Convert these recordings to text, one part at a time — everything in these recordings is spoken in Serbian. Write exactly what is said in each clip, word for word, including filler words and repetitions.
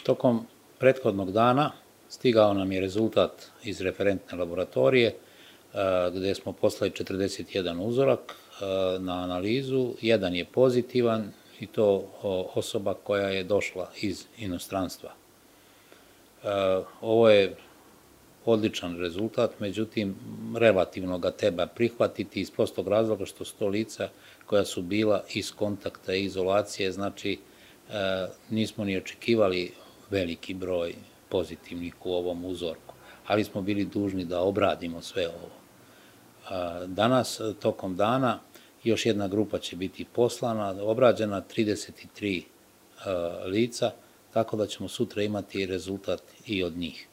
Tokom prethodnog dana stigao nam je rezultat iz referentne laboratorije gde smo poslali četrdeset jedan uzorak na analizu. Jedan je pozitivan i to osoba koja je došla iz inostranstva. Ovo je odličan rezultat, međutim, relativno ga treba prihvatiti iz prostog razloga što su to lica koja su bila iz kontakta i izolacije, znači nismo ni očekivali veliki broj pozitivnih u ovom uzorku, ali smo bili dužni da obradimo sve ovo. Danas, tokom dana, još jedna grupa će biti poslana, obrađena trideset tri lica, tako da ćemo sutra imati rezultat i od njih.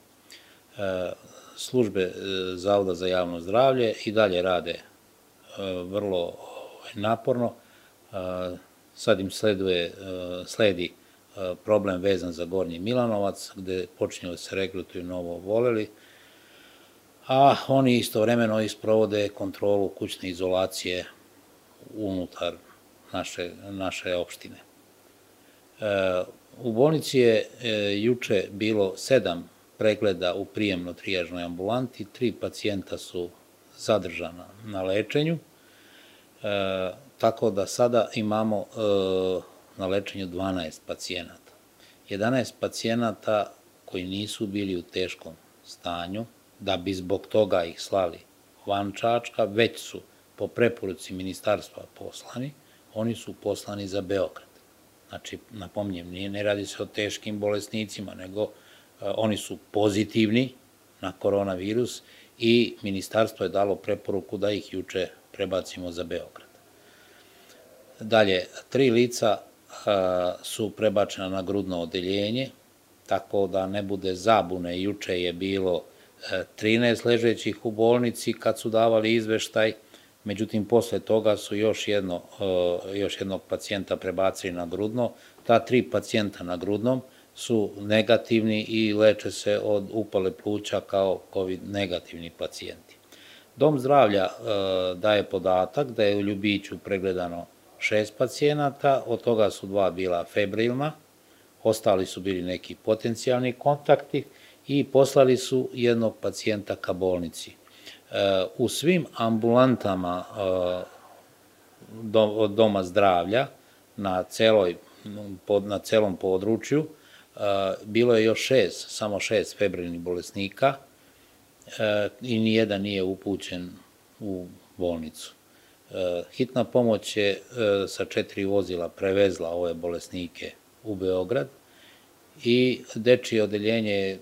Službe Zavoda za javno zdravlje i dalje rade vrlo naporno. Sad im sledi problem vezan za Gornji Milanovac, gde počinju da se regrutuju novo oboleli, a oni istovremeno isprovode kontrolu kućne izolacije unutar naše opštine. U bolnici je juče bilo sedam pregleda u prijemno-trijažnoj ambulanti, tri pacijenta su zadržana na lečenju, tako da sada imamo na lečenju dvanaest pacijenata. jedanaest pacijenata koji nisu bili u teškom stanju, da bi zbog toga ih slali van Čačka, već su po preporuci ministarstva poslani, oni su poslani za Beograd. Znači, napominjem, ne radi se o teškim bolesnicima, nego oni su pozitivni na koronavirus i ministarstvo je dalo preporuku da ih juče prebacimo za Beograd. Dalje, tri lica su prebačena na grudno odeljenje, tako da ne bude zabune, juče je bilo trinaest ležećih u bolnici kad su davali izveštaj, međutim, posle toga su još jednog pacijenta prebacili na grudno. Ta tri pacijenta na grudnom su negativni i leče se od upale pluća kao kovid negativni pacijenti. Dom zdravlja daje podatak da je u Ljubiću pregledano šest pacijenata, od toga su dva bila febrilna, ostali su bili neki potencijalni kontakti i poslali su jednog pacijenta ka bolnici. U svim ambulantama Doma zdravlja na celom području bilo je još šest, samo šest febrilnih bolesnika i nijedan nije upućen u bolnicu. Hitna pomoć je sa četiri vozila prevezla ove bolesnike u Beograd i dečije odeljenje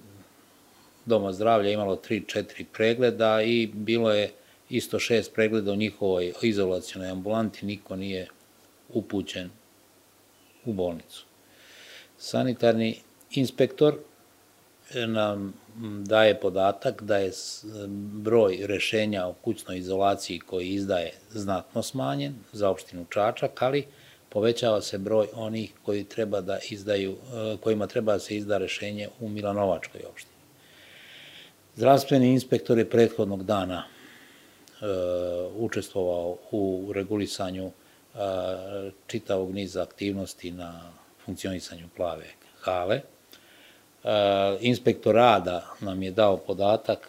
Doma zdravlja imalo tri četiri pregleda i bilo je isto šest pregleda u njihovoj izolacionoj ambulanti, niko nije upućen u bolnicu. Sanitarni inspektor nam daje podatak da je broj rešenja o kućnoj izolaciji koji izdaje znatno smanjen za opštinu Čačak, ali povećava se broj onih koji treba da izdaju, kojima treba da se izda rešenje u Milanovačkoj opštini. Zdravstveni inspektor je prethodnog dana učestvovao u regulisanju čitavog niza aktivnosti na funkcionisanju Plave hale. Inspektor rada nam je dao podatak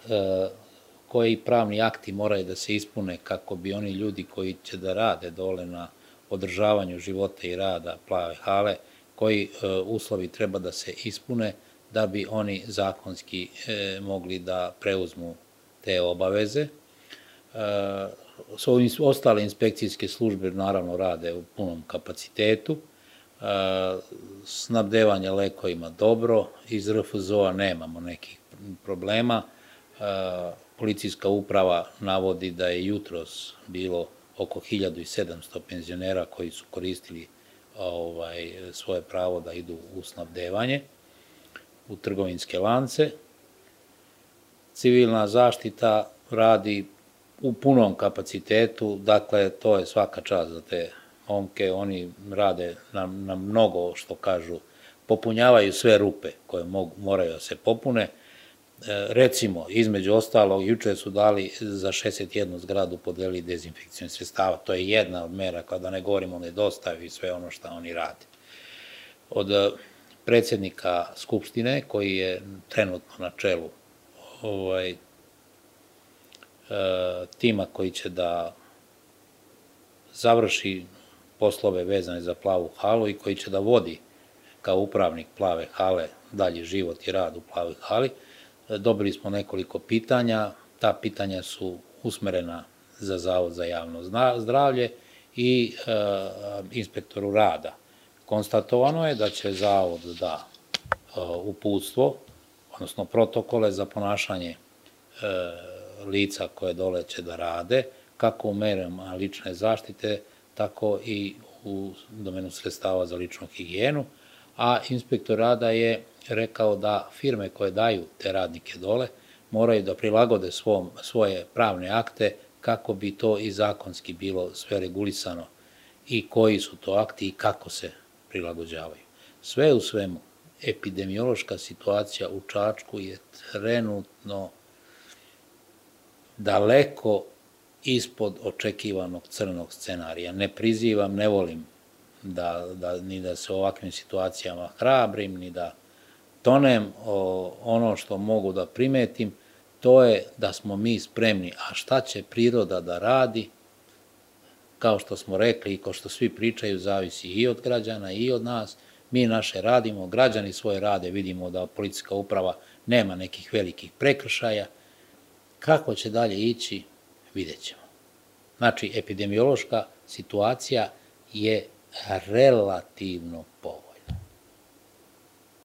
koji pravni akti moraju da se ispune kako bi oni ljudi koji će da rade dole na održavanju života i rada Plave hale, koji uslovi treba da se ispune da bi oni zakonski mogli da preuzmu te obaveze. Ostale inspekcijske službe naravno rade u punom kapacitetu, snabdevanje lekovima dobro, iz R F Z O-a nemamo nekih problema. Policijska uprava navodi da je jutros bilo oko hiljadu sedamsto penzionera koji su koristili svoje pravo da idu u snabdevanje u trgovinske lance. Civilna zaštita radi u punom kapacitetu, dakle, to je svaka čast za te momke, oni rade na mnogo, što kažu, popunjavaju sve rupe koje moraju da se popune. Recimo, između ostalog, juče su dali za šezdeset jednu zgradu podelili dezinfekcijne sredstava, to je jedna od mera, kada ne govorimo o nedostavi i sve ono što oni rade. Od predsjednika Skupštine, koji je trenutno na čelu ovaj, tima koji će da završi poslove vezane za Plavu halu i koji će da vodi kao upravnik Plave hale dalji život i rad u Plavoj hali. Dobili smo nekoliko pitanja, ta pitanja su usmerena za Zavod za javno zdravlje i inspektoru rada. Konstatovano je da će Zavod da uputstvo, odnosno protokole za ponašanje lica koje dole će da rade, kako u merama lične zaštite, tako i u domenu sredstava za ličnu higijenu, a inspektor rada je rekao da firme koje daju te radnike dole moraju da prilagode svoje pravne akte kako bi to i zakonski bilo sve regulisano i koji su to akti i kako se prilagođavaju. Sve u svemu, epidemiološka situacija u Čačku je trenutno daleko ispod očekivanog crnog scenarija. Ne prizivam, ne volim ni da se u ovakvim situacijama hrabrim, ni da tonem. Ono što mogu da primetim, to je da smo mi spremni. A šta će priroda da radi, kao što smo rekli i kao što svi pričaju, zavisi i od građana i od nas. Mi naše radimo, građani svoje rade, vidimo da policijska uprava nema nekih velikih prekršaja. Kako će dalje ići, vidjet ćemo. Znači, epidemiološka situacija je relativno povoljna.